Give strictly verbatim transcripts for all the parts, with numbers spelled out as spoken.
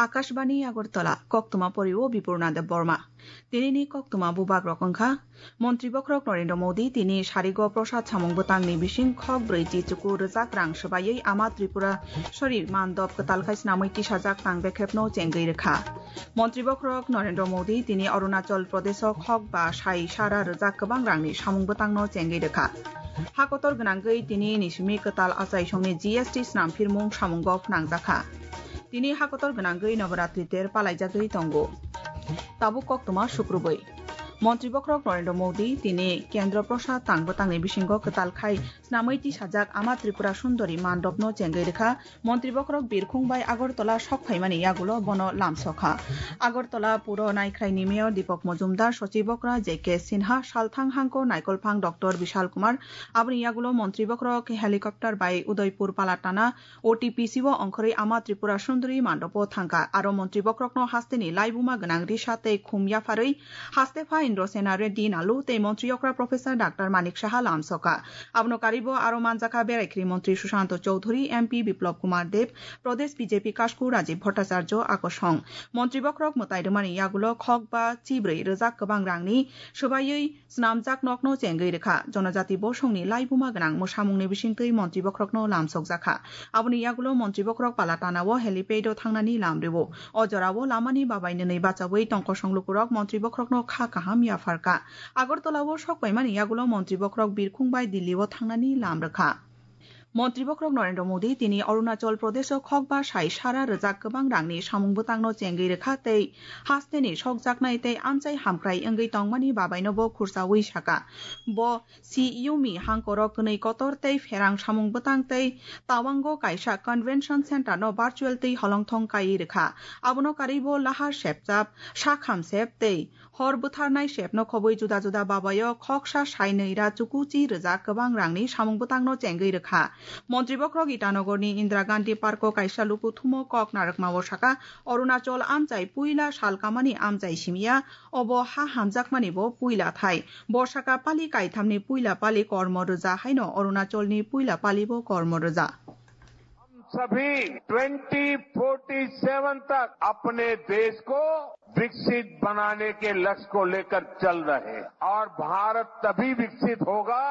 Akashbani Agartala, koktwma porio Bipurna Debbarma. Tinini koktwma bubagrok wngkha, Montri Bokhorok Narendra Modi tini sarigo prosad samung bwtangni bising khok brwi chi chuku rwjak rang swbaiwi Ama Tripura sori mandop kwtal khai snamwi tisajak tang bekhepno chengwi rwkha. Montri Bokhorok Narendra Modi tini Arunachal Pradesho khok ba sai sara rwjak kwbang rangni samung bwtangno chengwi rwkha. Hakotor gwnangwi tini nisimi kwtal achaisongni G S T snam phirmung samungo phnangjakha. Tini hakotor gwnangwi Noboratri ter palaijagwi tongo. Tabuk koktwma sukrubwi. Montri Bokhorok Narendra Modi tini Kendra Prasad tang bwtangni bisingo kwtal khai snamwi tisajak Ama Tripura Sundori mandopno chengwi rwkha. Montri Bokhorok birkhung bai Agartala sok phaimani yagulo bono lamsokha. Agartala puro naikhraini Mayor Deepak Majumdar, Sochib Bokhra J K Sinha, Salthang Hangko Naikolphang Doctor Bishal Kumar, aboni yagulo Montri Bokhorok helicopter bai Udaipur Palatana O T P C o ongkhorwi Ama Tripura Sundori mandopo thangkha. Aro Montri Bokhorokno hasteni laibuma gwnang risa tei khum yapharwi haste pha Indrasena Reddy Nalu tei Montri okra Professor Doctor Manik Saha lamsokha. Abono karibo aro manjakha Beraikri Montri Sushanta Chowdhury, M P Biplab Kumar Deb, Pradesh B J P Kasku Rajiv Bhattacharya akosong. Montri Bokhorok mwtai rwmani yagulo khok ba chibrwi rwjak kwbang rangni swbaiwi snamjak nokno chengwi rwkha. Jonojati bosongni laibuma gwnang mwsamungni bisingtwi Montri Bokhorokno lamsokjakha. Aboni yagulo Montri Bokhorok Palatana o helipad o thangnani lam rwo. O jorao lamani babai nwnwi bachaui tongkosong lukurok Montri Bokhorokno kha kaham yapharkha. Agartala o sok paimani yagulo Montri Bokhorok birkhung bai Delhi o thangnani lam rwkha. Montri Bokhorok Narendra Modi tini Arunachal Pradesh o khok ba sai sara rwjak kwbang rangni samung bwtangno chengwi rwkha tei hasteni sokjaknai tei amchai hamkrai wngwi tongmani babaino bo khursaui saka. Bo Siyumi hangkoro kwnwi kotor tei pherang samung bwtang tei Tawango kaisa convention center no virtual twi holongthong kaiwi rwkha. Abono karwi bo lahar sepchap, sakham sep tei hor bwtharnai sepno khobwi juda juda babaio khoksa sainwi ra chukuchi rwjak kwbang rangni samung bwtangno chengwi rwkha. Montri Bokhorok Itanogorni Indira Gandhi Parko kaisa luku thumo kok narwkmao saka, Arunachal amchai puila sal kamani amchai simiya, obo ha hamjakmani bo puila thai. Bo saka pali kaithamni puila pali kormo rwja haino Arunachalni puila pali bo kormo rwja. हम सभी twenty forty seven तक अपने देश को विकसित बनाने के लक्ष्य को लेकर चल रहे हैं और भारत तभी विकसित होगा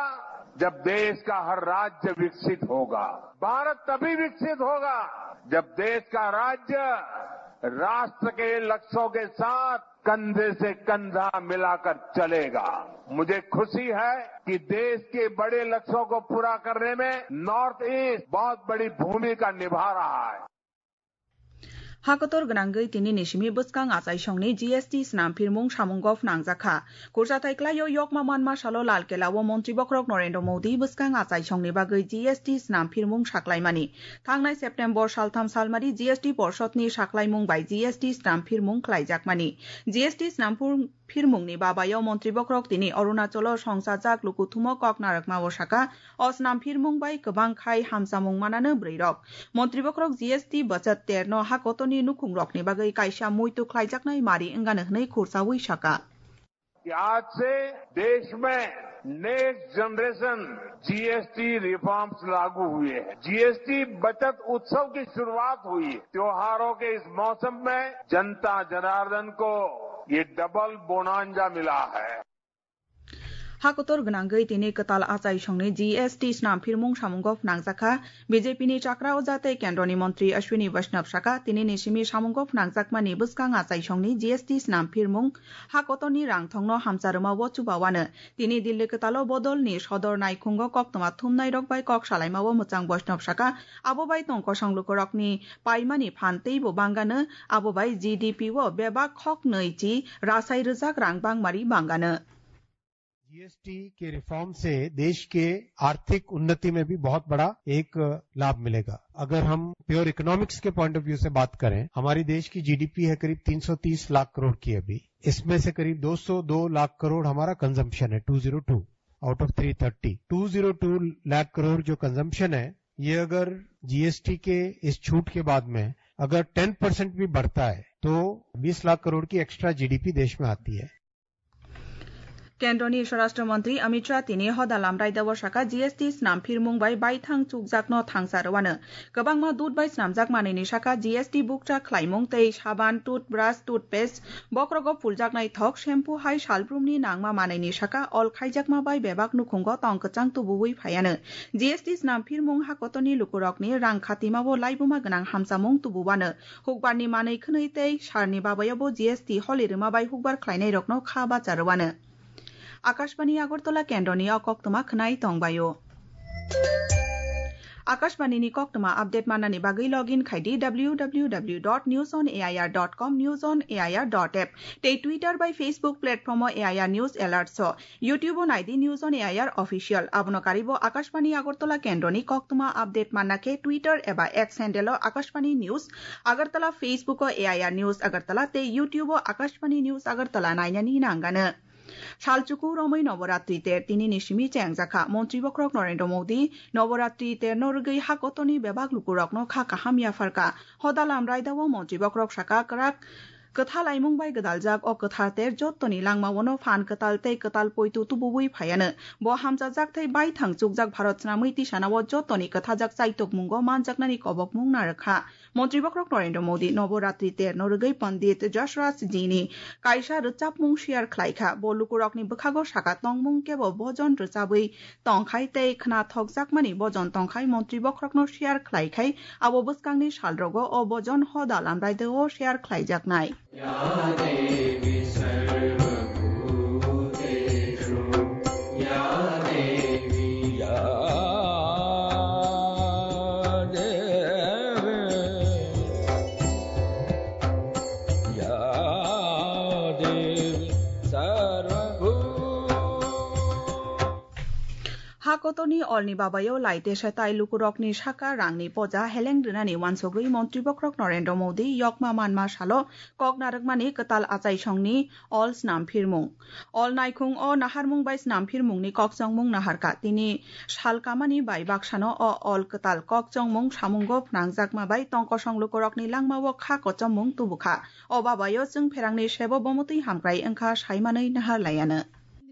जब देश का हर राज्य विकसित होगा। भारत तभी विकसित होगा जब देश का राज्य राष्ट्र के लक्ष्यों के साथ कंधे से कंधा मिलाकर चलेगा। मुझे खुशी है कि देश के बड़े लक्ष्यों को पूरा करने में नॉर्थ ईस्ट बहुत बड़ी भूमिका निभा रहा है। Hakotor gwnangwi tini nisimi bwskang achaisongni G S T snam phirmung samungo phnangjakha. Kurchathai klaio yokma manma salo Lal Kela o Montri Bokhorok Narendra Modi bwskang achaisongni bagwi G S T snam phirmung saklaimani. Thangnai September saltham salmari G S T Porshod ni saklaimung bai G S T snam phirmung khlaijakmani. G S T snam phir-, phirmung ni babayo Montri Bokhorok tini Arunachal o songchajak lukuthum o kok narwkma o saka, o snam phirmung bai kwbang khai hamchamung manano bwrwi rok. Montri Bokhorok G S T bwchwt ter no hakotor ni nukhung rok ni bagwi kaisa muitu khlaijaknai mari wngano hwnwi khurchaui saka. कि आज से देश में next generation GST reforms लागू हुए हैं, जीएसटी बचत उत्सव की शुरुआत हुई है। त्योहारों के इस मौसम में जनता जनार्दन को ये डबल बोनांजा मिला है। Hakotor gwnangwi tini kwtal achaisongni G S T snam phirmung samungo phnangjakha. B J P ni chakra o jate kendroni montri Ashwini Vaishnaw saka, tini ni simi samungo phnangjakmani bwskang achaisongni G S T snam phirmung hakotorni rangthongno hamcharwma o chubawano. Tini Delhi kwtalo bodolni sodor naikhungo koktwma thumnairok bai kok salaima o mwchang Vaishnaw saka, abo bai tongkosong lukurokni paimani phan teibo bangano, abo bai G D P o bebak khok nwi chi rasai rwjak rang bangmari bangano. GST के रिफॉर्म से देश के आर्थिक उन्नति में भी बहुत बड़ा एक लाभ मिलेगा। अगर हम प्योर इकोनॉमिक्स के पॉइंट ऑफ व्यू से बात करें, हमारी देश की जीडीपी है करीब तीन सौ तीस लाख करोड़ की अभी। इसमें से करीब दो सौ दो लाख करोड़ हमारा कंजम्पशन है, two zero two out of three thirty. Two zero two lakh crore जो कंजम्पशन है, ये अगर जीएसटी के इस छूट के बाद में अगर टेन परसेंट भी बढ़ता है, तो बीस लाख करोड़ की एक्स्ट्रा जीडीपी देश में आती है। Kendroni Swarashtra Mantri Amit Shah tini hoda lamraidao saka G S T snam phirmung bai baithang chukjakno thangsa rwano. Kwbangma dut bai snamjak manwini saka G S T bukcha khlaimung tei saban, toothbrush, toothpaste, bokrogo phuljaknai thok, shampoo hai salbrumni nangma manwini saka ol khaijakma bai bebak nukhungo tong kwchang tubuwi phaiano. G S T snam phirmung hakotoni lukurokni rang khatimao laibuma gwnang hamchamung tububano. Hukbarni manwi khwnwi tei sarni babayobo G S T holi rwma bai hukbar khlainairokno kha bacha rwano. Akashbani Agartala kendroni o koktwma khwnai tongbaio. Akashbani ni koktwma update mannani bagwi login khai di W W W dot news on A I R dot com, news on A I R dot app, tei Twitter bai Facebook platform o A I R News Alert so. YouTube o nai di News on A I R Official. Abono karibo Akashbani Agartala kendroni koktwma update manna khe Twitter eba X handle o Akashbani News Agartala, Facebook o A I R News Agartala tei YouTube o Akashbani News Agartala nainani nangano. Salchuku romwi Noboratri ter tini ni simi chengjakha. Montri bokhorok Narendra Modi Noboratri ter no rwgwi hakotoni bebak lukurokno kha kaham yapharkha. Hoda lamraidao Montri bokhorok saka kwrak kwthalaimung bai gwdaljak o kwthar ter jottoni langmao no phan kwtal tei kwtal poito tubuwi phaiano. Bo hamchajak tei baithang chukjak Bharat snamwi tisanao jottoni kwthajak chaitokmungo manjaknani kobokmung narwkha. Montri bokhorok Narendra Modi Noboratri ter no rwgwi Pandit Jashraj Ji ni kaisa rwchapmung share khlaikha. Bo lukurokni bwkhago saka tongmung kebo bojon rwchabwi tongkhai tei khnathokjakmani bojon tongkhai montri bokhorokno share khlaikhai. Abo bwskangni salrogo o bojon hoda lamraidao share khlaijaknai. या देवी सर्वभूतेषु, या देवी, या देवी, या देवी सर्वभू- Ha kotorni olni babayo laitesa tai lukurokni saka rangni poja heleng rwnani wansugwi Montri bokhorok Narendra Modi yokma manma salo kok narwkmani kwtal achaisongni ol snam phirmung. Ol naikhung o naharmung bai snam phirmungni kokchongmung naharkha. Tini sal kamani bai baksano o ol kwtal kokchongmung samungo phnangjakma bai tongkosong lukurokni langmao kha kochomung tubukha. O babayo chwng pherangni sebo bomotwi hamkrai wngkha saimanwi nahar laiano.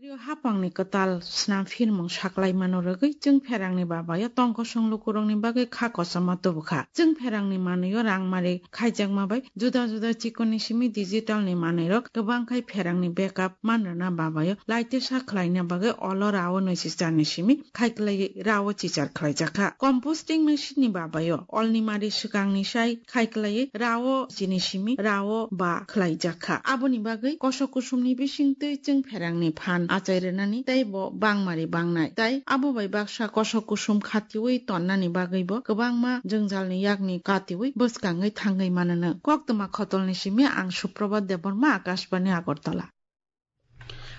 Indriyo hapangni kwtal snam phirmung saklaimano rwgwi chwng pherangni babayo tongkosong lukurokni bagwi kha kochoma tubukha. Chwng pherangni manwio rangmari khaijakma bai juda juda chikonni simi digital ni manwirok kwbang khai pherangni backup manrwna babayo laitesa khlaina bagwi olo rao nwichichar ni simi khaiklai rao chichar khlaijakha. Composting machine ni babayo olni mari swkangni sai khaiklai rao chini simi rao ba khlaijakha. Aboni bagwi kosok kusumni bisingtwi chwng pherangni phan achai rwnani tei bo bangmari bangnai. Tai abo bai baksa kosok kusum khatiui tonnani bagwibo kwbangma jwngjalni yakni katiui bwskangwi thangwi manono. Koktwma khotolni simi ang Suprabhat Debbarma, Akashbani Agartala.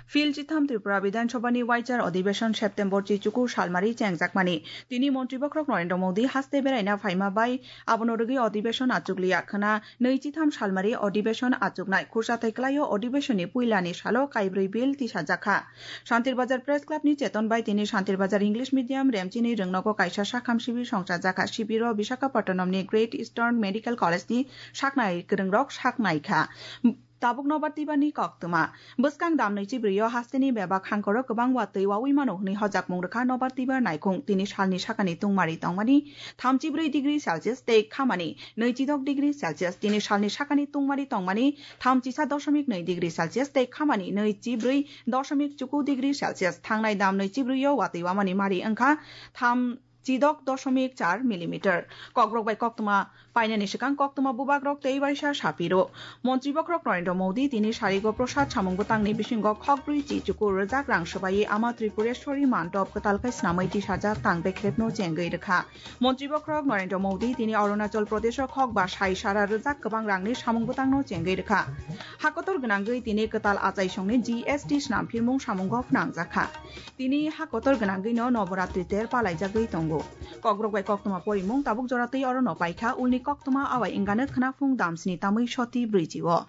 Phil chitham Tripura Bidhan Sabhani Waichar Adhibeshon September chichuku salmari chengjakmani. Tini Montri bokhorok Narendra Modi haste beraina phaima bai abono rwgwi adhibeshon achukliya khwna nwi chitham salmari adhibeshon achuknai. Khursa thai kwlaio adhibeshonni puilani salo kaibrwi bill tisajakha. Shantir Bazar Press Club ni cheton bai tini Shantir Bazar English Medium Remchini Rwngnogo kaisa sakham sibir songchajakha. Sibiro Visakhapatnam ni Great Eastern Medical College ni saknai kwrwngrok saknaikha. Tabuk nobar twibarni koktwma. Bwskang dam nwichi brwi o hasteni bebak hangkoro kwbang watwi wawi mano hwnwi hojakmung rwkha nobar twibar naikhung. Tini salni sakani tungmari tongmani thamchi brwi degree Celsius tei khamani nwichi dok degree Celsius. Tini salni sakani tungmari tongmani thamchi sa dosomik nwi degree Celsius tei khamani nwichi brwi dosomik chuku degree Celsius. Thangnai dam nwichi brwi o watwi wamani mari wngkha tham chidok dosomik char millimeter. Kokborok bai koktwma painani swkang koktwma bubagrok tei waisa sapiro. Montri bokhorok Narendra Modi tini sarigo prosad samung bwtangni bisingo khokbrwi chi chukur rwjak rang swbaiwi Ama Tripureshwari mandop kwtal khe snamwi tisajak tang bekhrebno chengwi rwkha. Montri bokhorok Narendra Modi tini Arunachal Pradesho khok ba sai sara rwjak kwbang rangni samung bwtangno chengwi rwkha. Hakotor gwnangwi tini kwtal achaisongni G S T snam phirmung samungo phnangjakha. Tini ha kotor gwnangwino Noboratri ter palaijagwi tongo. Kokborok bai koktwma porimung tabuk jora twi orono paikha, ulni koktwma awai wngano khwnaphung damsni tamwi soti brwichi o.